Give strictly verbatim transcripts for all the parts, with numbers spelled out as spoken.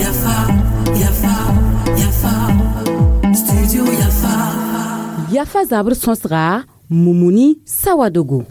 Yafa, Yafa, Yafa, Studio Yafa. Yafa zabr sõsga Mumuni Sawadogo.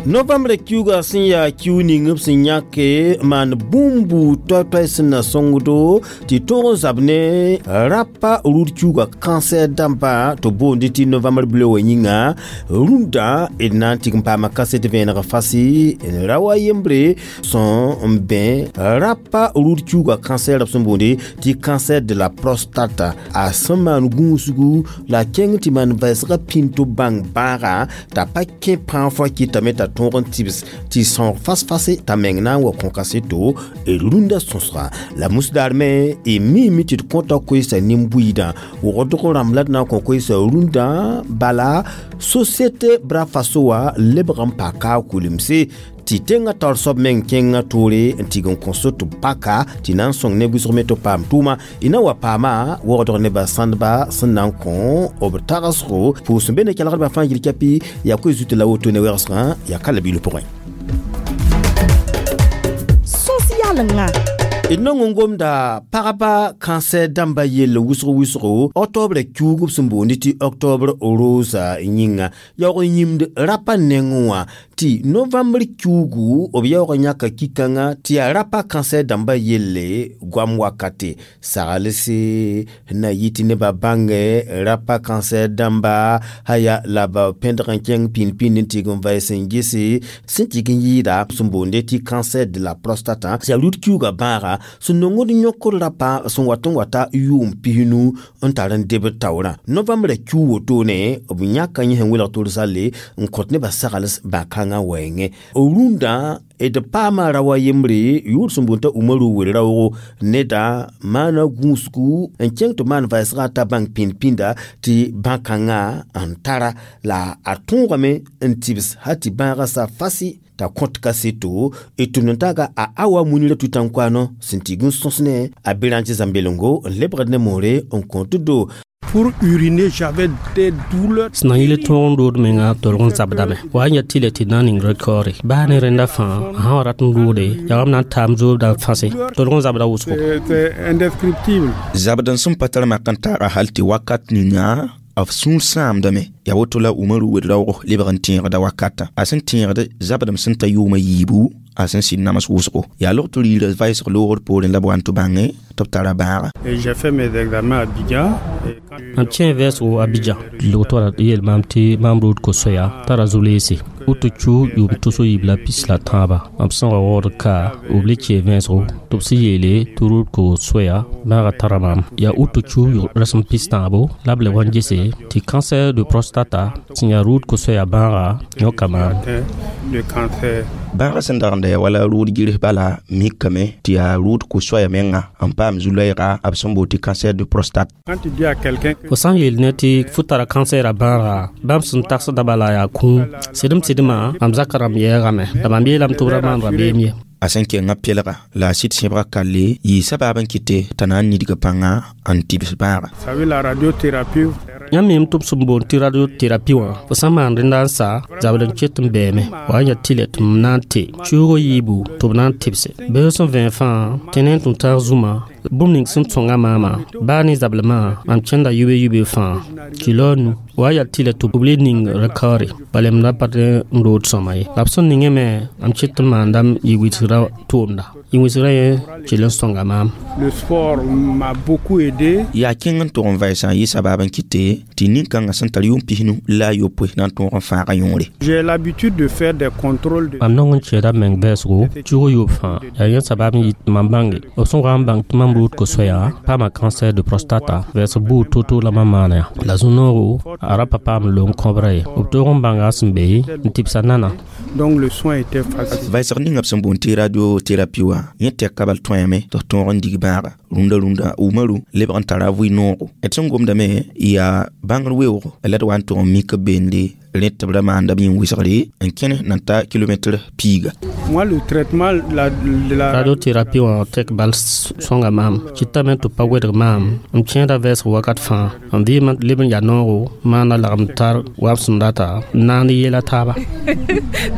Novembre kiuga sẽn yaa kiu ning b sẽn yãke maan bũmbu toay-toay sẽn na sõngdo tɩ tõog n zab ne rapa rʋd kiuga cancer dãmba tɩ boondi tɩ novembre bleu wã yĩnga rũndã d na n tɩg n paama kaset vẽeneg fasi n ra wa yembre sẽn n bẽ rapa rʋd kiuga cancer b sẽn boonde tɩ cancer de la prostate a sẽn maan gũusgu la a kẽng tɩ maan vɛɛsgã pĩnd tɩ bãng bãaga t'a pa kẽ pãag fo kɩtame t'a tõog n tɩbs tɩ sõog fas-fase t'a meng na n wa kõ kaseto d rũndã sõsga la musdaar me y miime tɩ d kõta koeesa nin-buiidã wogdg rãmb la d na n kõ koeesa rũndã bala société bra faso wã lebg n pa kaa kulemse tɩ tẽngã taoor soab meng kẽngã toore n tig n kõ so tɩ paka tɩ na n sõng ne wʋsg me tɩ paam tʋʋma y na wa paama wogdg nebã sãndba sẽn na n kõ b tagsgo pʋʋs n be ne kelgdbã fãa yil kɛpɩ yaa koe zut la woto ne wɛgsgã yaa ka la bil pʋgẽ Sõs yalenga. D nong n gomda pagba cancer dãmba yell wʋsg wʋsgo octobre kiuug b sẽn boond tɩ octobre rosa yĩnga yaoog n yĩmd rapa nengẽ wã tɩ novembre kiuugu b yaoog n yãka ki-kãngã tɩ yaa rapa cancer dãmba yelle goam wakate saglse na yɩ tɩ nebã bãnge rapa cancer dãmba haya la b pẽdg n kẽng pĩnd-pĩnd n tɩg n vaɩs n gese sẽn tɩg n yɩɩda sẽn boonde tɩ cancer de la prostate yaa rʋd kiuugã bãaga sẽn nongd yõkd rapa sẽn wat n wata yʋʋm pisnu n tar n debd taoorã novembre kiu wotone b yãka yẽ sẽn welg tʋlsalle n kõt nebã sagls bã-kãngã wɛɛngẽ rũndã d paama ra wa yembre yʋʋr sẽn boond t'a umaru wer-raoogo neda maana gũusgu n kẽng tɩ maan vɛɛsgã t'a bãng pĩnd-pĩnda tɩ bã-kãngã n tara la a tõogame n tɩbs hal tɩ bãagã sa fasi t'a kõt kaseto d tʋmd n taaga a awa munirã tʋ-tãn-koaano sẽn tɩg n sõs ne a berãnge zãmbelengo n lebgd ne moore n kõt do. Pour uriner, j'avais des douleurs. Sẽn na yɩl tõog n rood menga tolg n zabdame wa n ya tɩ le tɩ na n ning rekɔɔre baa ne rẽnda fãa sã wa rat n roode yagam na n taam zoobda fãse tolg n zabda wʋsgo. C'est indescriptible. Zabd n sẽn pa tar mak n taaga hal tɩ wakat ninga b sũur sãamdame yaa woto la Umaru wed-raoog lebg n tẽegda wakatã a sẽn tẽegd zabdem sẽn ta yʋʋmã yiibu a sẽn sɩd nams wʋsgo yaa log tɩ riirã vaɩsg loogr poorẽ la b wa n tɩ bãnge tɩ b tara bãaga. Et j'ai fait mes examens à Abidjan. Mam kẽ vɛɛsgo Abidjan logtɔra yeel maam tɩ maam rood ko-soɛa tara zu-leese woto chu yʋʋm tʋs yiib la pis la tãaba mam sẽn wa waood ka b le kee vẽesgo tɩ b sẽn yeele tɩ rʋd ko-soɛa bãaga tara maam yaa woto chu rasem pis tãabo la b le wa n gese tɩ cancer de prostata sẽn yaa rʋʋd ko-soɛa bãaga yõka maam. Le cancer. Bãagã sẽn dagenda yaa wala rʋʋd gɩrs bala mikame tɩ yaa rʋʋd ko-soɛa menga n paam zu-loɛɛga b sẽn boond tɩ cancer de prostate. Quand tu dis à quelqu'un fo sã n yeel ne tɩ fo tara cancer a bãaga bãmb sẽn tagsda bala yaa kũum sɩdem sɩdmã mam zakã rãmb yɛɛgame la mam yeelame tɩ b ra maan rabeem ye. A sẽn kẽngã pɛlga la a sɩd sẽbga kalle yɩ sabaab n kɩte t'a na n nidg pãnga n tɩbs bãaga. Savez, la radiothérapie. Yãmb meem tɩ b sẽn boond tɩ radiothérapie wã fo sã n maan rẽnda n sa zabd n ket n bɛɛme wa n yaa tɩlɛ tɩ m na n te cuugo yiibu tɩ b na n tɩbse beoog sẽn vẽeg fãa tɩ ne n tũ taag zũma bũmb ning sẽn sõnga maamã baa ne zablmã mam kẽnda yube-yube fãa kilo nu wa yaa tɩlɛ tɩ b le ning rekaoore bala m ra pa n rood sõma ye la b sẽn ningẽ me mam ket n maandame yɩ-wɩsgrã tʋʋmda yɩ-wɩsgrã yẽ kell n sõnga maam. Le sport m'a beaucoup aidé. Yaa kẽng n tʋg n vɛɛsã n yɩ sabaab n kɩte tɩ nin-kãngã sẽn tar yʋʋm pisnu la a yopoe na n tõog n fãaga yõore. J'ai l'habitude de faire des contrôles de Mam nong n kẽeda m meng vɛɛsgo cuug yoob fãa yaa yẽ sabaab n yɩ tɩ mam bãnge b sẽn wa n bãng tɩ mam rʋʋd ko-soɛa paama cancer de prostata vɛɛsg buud to-to la mam maana ya la zu-noogo a ra pa paam long kõbrã ye b toog n bãnga sẽn be n tɩbsa nana. Donc le soin était facile. Vɛɛsg ninga b sẽn boond tɩ radiothérapie wã yẽ tɛka bal tõeame tɩ tõog n dig bãaga rũndã rũndã Umaru lebg n tara vɩ noogo d sẽn gomdame yaa bãngr weoogo la d wa n tʋg n mik b beende. Rẽ tɩ b ra maanda b yĩn wɩsgre n kẽne nan ta kilomɛtr piiga. Moi, le traitement la, de la Radiothérapie wã tek bal sõnga maam kɩtame tɩ pa wedg maam m kẽeda vɛɛsg wakat fãa n vɩɩmã leb n yaa noogo maana lagem tar wa b sẽn data n naand yeela taaba.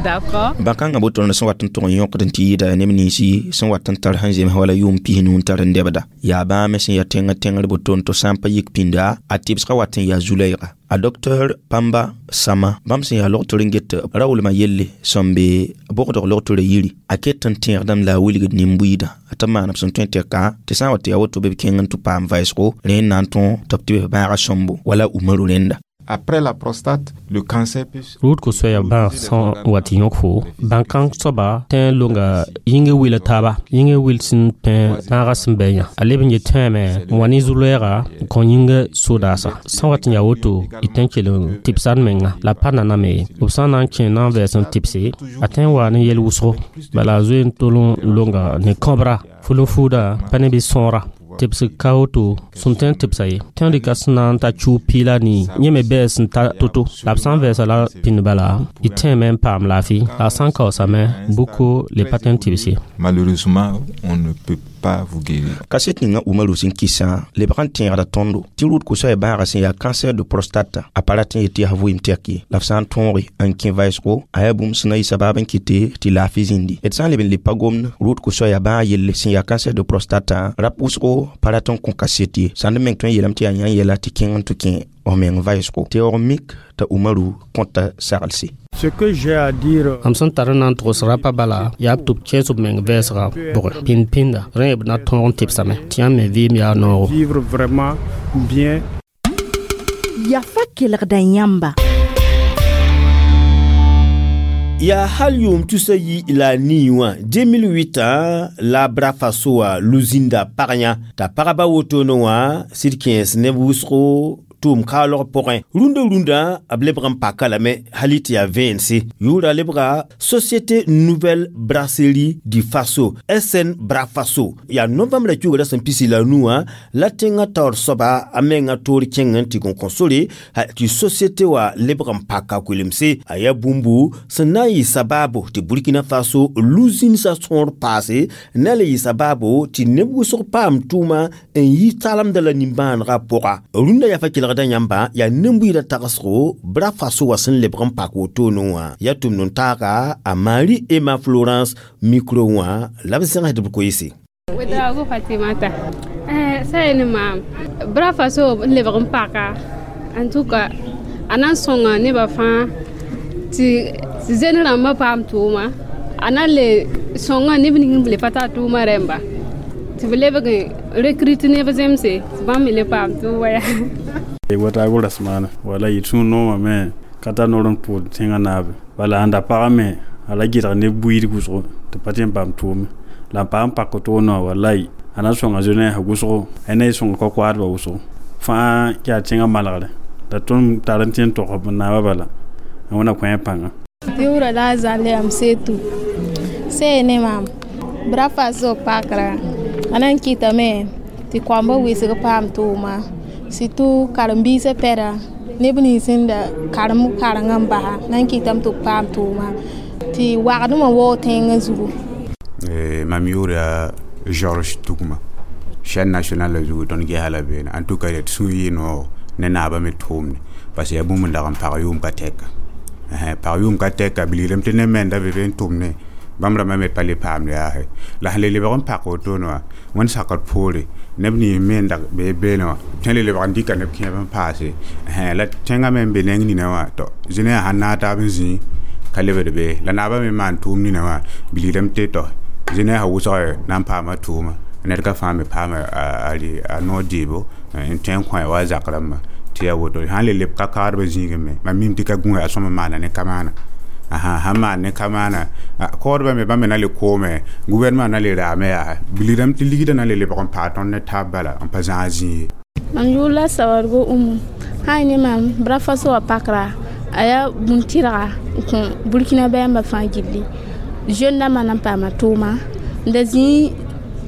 D'accord. Bãn-kãngã boto sẽn wat n tʋg n yõkd n tɩ yɩɩda neb ninsi sẽn wat n tar sẽn zems wala yʋʋm pis-nu n tar n dɛbda yaa bãa me sẽn yaa tẽngã tẽngr boto n tɩ sã n pa yik pĩnda a tɩbsgã wat n yaa zu-lɛɛga. A docteur Pamba Sama, bãmb sẽn yaa logtr n get raoolmã yelle sẽn be bogdg logtrã yiri, a ket n tẽegdame la a wilgd nin-buiidã tɩ b maan b sẽn tõe n tɛka tɩ sã n wa tɩ yaa woto bɩ b kẽng n tɩ paam vɛɛsgo rẽ n na n tõo tɩ b tɩ b bãaga sõmbo wala Umaru rẽnda. Après la prostate, le cancer peut Rʋʋd ko-soɛɛg bãag sẽn wa tɩ yõk fo bãn-kãng soaba tẽ n longa yĩngã wila taaba yĩngã wil sẽn pẽ bãagã sẽn bɛ yã a leb n yet tẽeme n wa ne zu-lɛɛga n kõ yĩngã sodaasa sẽn wat n yaa woto y tõe n kell n tɩbsa d menga la pa naname ye b sã n na n kẽ na n vɛɛs n tɩbse a tõe n waa ne yɛl wʋsgo bala a zoe n tol n longa ne kõbra ful-n-fuuda pa ne bɩ sõora tɩbsg ka woto sẽn tõe n tɩbsa ye tẽ rɩka sẽn na n ta chu piila nii yẽ me bɛɛ sẽn ta to-to la b sã n vɛɛsa la pĩnd bala y tẽeme n paam laafɩ la a sã n kaoosame buko le pa tõe n tɩbs ye. Malheureusement, on ne peut pas vous guérir. Kaset ninga Umaru sẽn kɩsã lebg n tẽegda tõndo tɩ rʋʋd ko-soɛɛ bãagã sẽn yaa cancer de prostate a pa rat n yet tɩ yaa vɩɩm tɛk ye la b sã n tõoge n kẽ vɛɛsgo a yaa bũmb sẽn na yɩ sabaab n kɩte tɩ laafɩ zĩndi d sã n leb n le pa gomd rʋʋd ko-soɛɛya bãag yelle sẽn yaa cancer de prostate rap wʋsgo pa rat n kõ kaset ye sãnd meng tõe n yeelame tɩ yaa yã yɛla tɩ kẽng n tɩ kẽ f meng vɛɛsgo tɩ yaoog mik t'a Umaru kõta saglse. Ce que j'ai à dire, Mam sẽn tar n na n togs rapa bala yaa b tɩ b kẽes b meng vɛɛsgã pʋgẽ pĩnd pĩnda rẽ b na tõog n tɩbsame tɩ yãmb me vɩɩm yaa noogo. Vivre vraiment bien. Yafa kelgda yãmba. Yaa hal yʋʋm tusa yi la nii wã deux mille huit la Bra Faso wã luzinda pag yã t'a pagba wotone wã sɩd kẽes neb wʋsgo tʋʋm kaalg pʋgẽ rũndã rũndã b lebg n paka lame hali tɩ yaa vẽense yʋʋra lebga Société Nouvelle Brasserie du Faso, S N Bra Faso. Yaa novembre kiugrã sẽn pisi la nu wã la tẽngã taoor soaba a menga toor kẽng n tɩ gõ kõ sore tɩ société wã lebg n paka koelemse a yaa bũmbu sẽn na n yɩ sabaabo tɩ Burkina Faso luzinsã sõor paase na le yɩ sabaabo tɩ neb wʋsg paam tʋʋma n yi talemda la nimbãanegã pʋga. Rũndã yafa kelgda yãmba yaa nin-buiidã tagsgo Bra Faso wã sẽn lebg n pak wotone wã yaa tʋmd n taaga a Marie Emma Florence micro wã la b zẽgs b koeese. Ouedraogo Fatimata. Eh, sai ni maam. Bra Faso lebg n paka. En tout cas, a na n sõnga nebã fãa tɩ tɩ zen rãmbã paam tʋʋma a na n le sõnga neb ning b le pa tar tʋʋma rẽmba tɩ b lebg n recrute neb zemse tɩ bãmb me le paam tʋʋma yaa. Watago rasmana wala yɩ sũur noomame ka tar noor n pʋʋd tẽngã naabe bala ãnda pagã me a la gɩdg ne buiid wʋsgo tɩ pa tõe n paam tʋʋme la n paam pak toonã wã walai a na n sõnga zonaas wʋsgo a na y sõnga koa-koaadbã wʋsgo fãa yaa tẽngã malgre la tõnd tar n tẽ n tog b naabã bala a wẽna kõ a pãnga. Yʋʋra la a zãle yam setu see ne maam Bra Faso pakra a na n kɩtame tɩ koambã wɩsg paam tʋʋma surtout karen-biisã pɛda neb nins sẽn da karem karengã n basa na n kɩtame tɩ b paam tʋʋma tɩ wagdmã waoog tẽngã zugu. Mam yʋʋra Georges Tugma chaîne nationale la zugu tõnd gesa la beene. En tout cas, d sũ yɩ noog ne naabã me tʋʋmde parce que yaa bũmb n dag n pag yʋʋm ka tɛka pag yʋʋm ka tɛka bilgdame tɩ neb menda be be n tʋmne bãmb rãmbã me pa le paamd yaase la sẽn le lebg n pak wotone wã wẽnd sakd poore neb nins me n dag bee beene wã tõe le lebg n dɩka neb kẽeb n paase la tẽngã me n be neng nina wã to zĩna yaa sãn naag taab n zĩ ka lebd be la naabã me maan tʋʋm nina wã bilgdame tɩ to zĩna yaa wʋsg na n paama tʋʋma ned ka fãa me paama a noor dɩɩbo n tõe n kõ wa a zak rãmbã tɩ yaa woto sãn le leb ka kaadbã zĩigẽ me mam mim tɩ ka gũuga a sõma maana ne kamaana sãn maan ne kamaana koodbã me bãmb me na le koome gouvernement na le raame yaa bilgdame tɩ ligdã na le lebg n paa tõnd ne taab bala n pa zãag zĩig ye. Mam yʋʋr la Sawargo Umu sã ne maam Bra Faso wã pakra a yaa bũn-tɩrga n kõ Burkina bãmba fãa gilli jeune dãmbã na n paama tʋʋma n da zĩig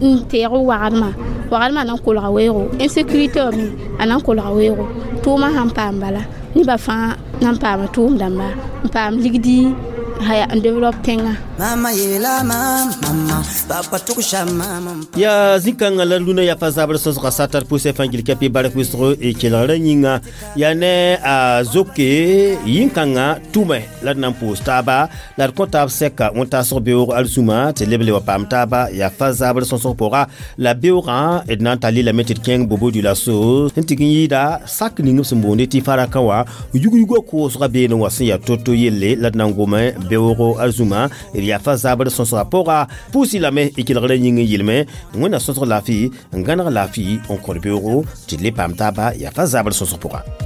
n teeg wagdmã wagdmã na n kolga weoogo insécurité wã me a na n kolga weoogo tʋʋmã sãn paam bala nebã fãa. Na n paama tʋʋm dãmba n paam ligdi haya n développe tẽngã. Mama yeela maam mama papa tʋgsa maam. Yaa zĩ-kãngã la luna yafa zabr sõsga satar pʋsɛ fãa gil kapi bark wʋsgo y kelgrã yĩnga yaa ne a zoke yĩn-kãngã tʋme la d na n pʋʋs taaba la d kõ taab sɛka wẽn-taasg beoog alzũma tɩ leb le wa paam taaba yafa zabr sõsg pʋga la beoogã d na n tall lame tɩ d kẽng bobo du la so sẽn tɩg n yɩɩda sak ning b sẽn boonde tɩ faraka wã yug-yugã koosga beene wã sẽn yaa to-to yelle la d na n gome beoogo alzũma d yafa zabr sõsga pʋga pʋʋsɩ lame y kelgrã yĩng n yɩlme wẽnna sõsg laafɩ n gãneg laafɩ n kõd beoogo tɩ d le paam taaba yafa zabr sõsg pʋga.